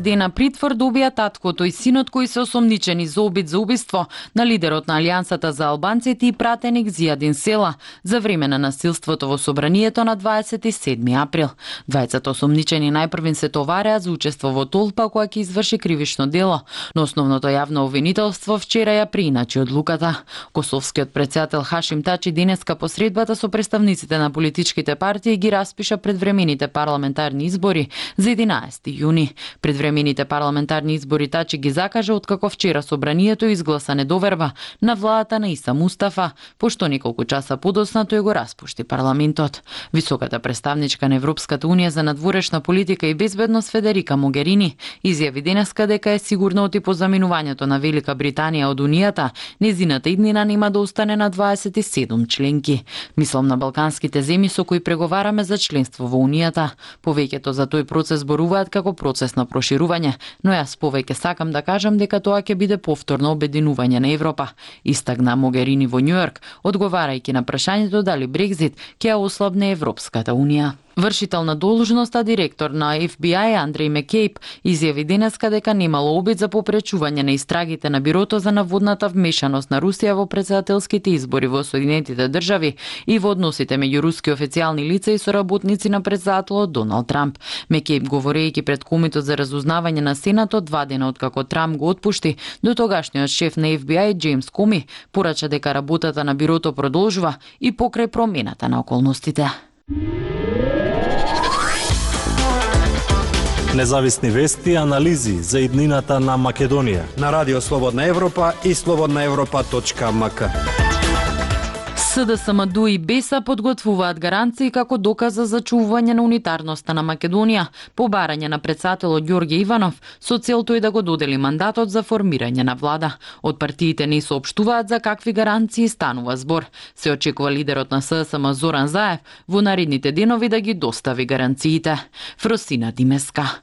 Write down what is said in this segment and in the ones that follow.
Дена притвор добија таткото и синот кои се осомничени за обид за убиство на лидерот на Алијансата за албанците и пратеник Зијадин Села за време на насилството во собранието на 27 април. Двајцата осомничени најпрвин се товареа за учество во толпа која ќе изврши кривично дело, но основното јавно обвинителство вчера ја прииначи одлуката. Косовскиот претседател Хашим Тачи денеска по средбата со представниците на политичките партии ги распиша предвремените парламентарни избори за 11 јуни. Предвремените парламентарни избори Тачи ги закажа откако вчера собранието изгласа недоверба на владата на Иса Мустафа, пошто неколку часа подоцна тој го распушти парламентот. Високата представничка на Европската унија за надворешна политика и безбедност Федерика Могерини изјави денеска дека е сигурна оти по заминувањето на Велика Британија од унијата, незината иднина нема да остане на 27 членки. Мислам на балканските земји со кои преговараме за членство во унијата. Повеќето за тој процес зборуваат како процес на проширување, но јас повеќе сакам да кажам дека тоа ќе биде повторно обединување на Европа, истакна Могерини во Њујорк, одговарајќи на прашањето дали Брекзит ќе ја ослабне Европската унија. Вршител на должноста директор на FBI Андреј Мекејп изјави денеска дека немало обид за попречување на истрагите на бирото за наводната вмешаност на Русија во претседателските избори во Соединетите држави и во односите меѓу руски официјални лица и соработници на претседателот Доналд Трамп. Мекејп говорејќи пред Комитет за разузнавање на Сенатот 2 дена откако Трамп го отпушти, до тогашниот шеф на FBI Џејмс Коми порача дека работата на бирото продолжува и покрај промената на околностите. Независни вести и анализи за иднината на Македонија на Радио Слободна Европа и slobodnaevropa.mk. СДСМ и БЕСА подготвуваат гаранции како доказ за зачувување на унитарноста на Македонија, по барање на претседателот Ѓорѓе Иванов, со цел тој да го додели мандатот за формирање на влада. Од партиите не соопштуваат за какви гаранции станува збор. Се очекува лидерот на СДСМ Зоран Заев во наредните денови да ги достави гаранциите. Фросина Димеска.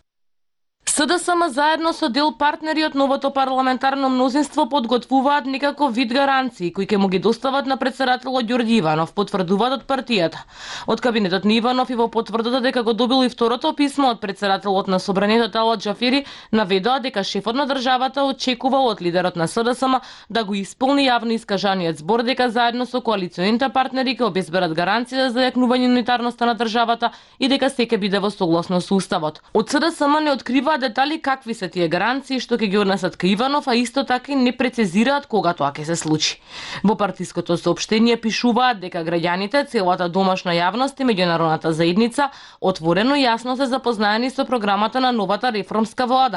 СДСМ заедно со дел партнери од новото парламентарно мнозинство подготвуваат некако вид гаранции кои ќе му ги достават на претседателот Ѓорѓе Иванов, потврдуваат од партијата. Од кабинетот на Иванов и во потврдата дека го добил и второто писмо од претседателот на собранието Талат Џафери, наведоа дека шефот на државата очекува од лидерот на СДСМ да го исполни јавно искажаниот збор дека заедно со коалиционите партнери ќе обезбедат гаранција за зајакнување унитарноста на државата и дека се ќе биде во согласност со уставот. Од СДСМ не откриваат детали какви се тие гаранции што ќе ги однесат кај Иванов, а исто така и не прецизираат кога тоа ќе се случи. Во партиското соопштение пишуваат дека граѓаните, целата домашна јавност и меѓународната заедница отворено и јасно се запознаени со програмата на новата реформска влада.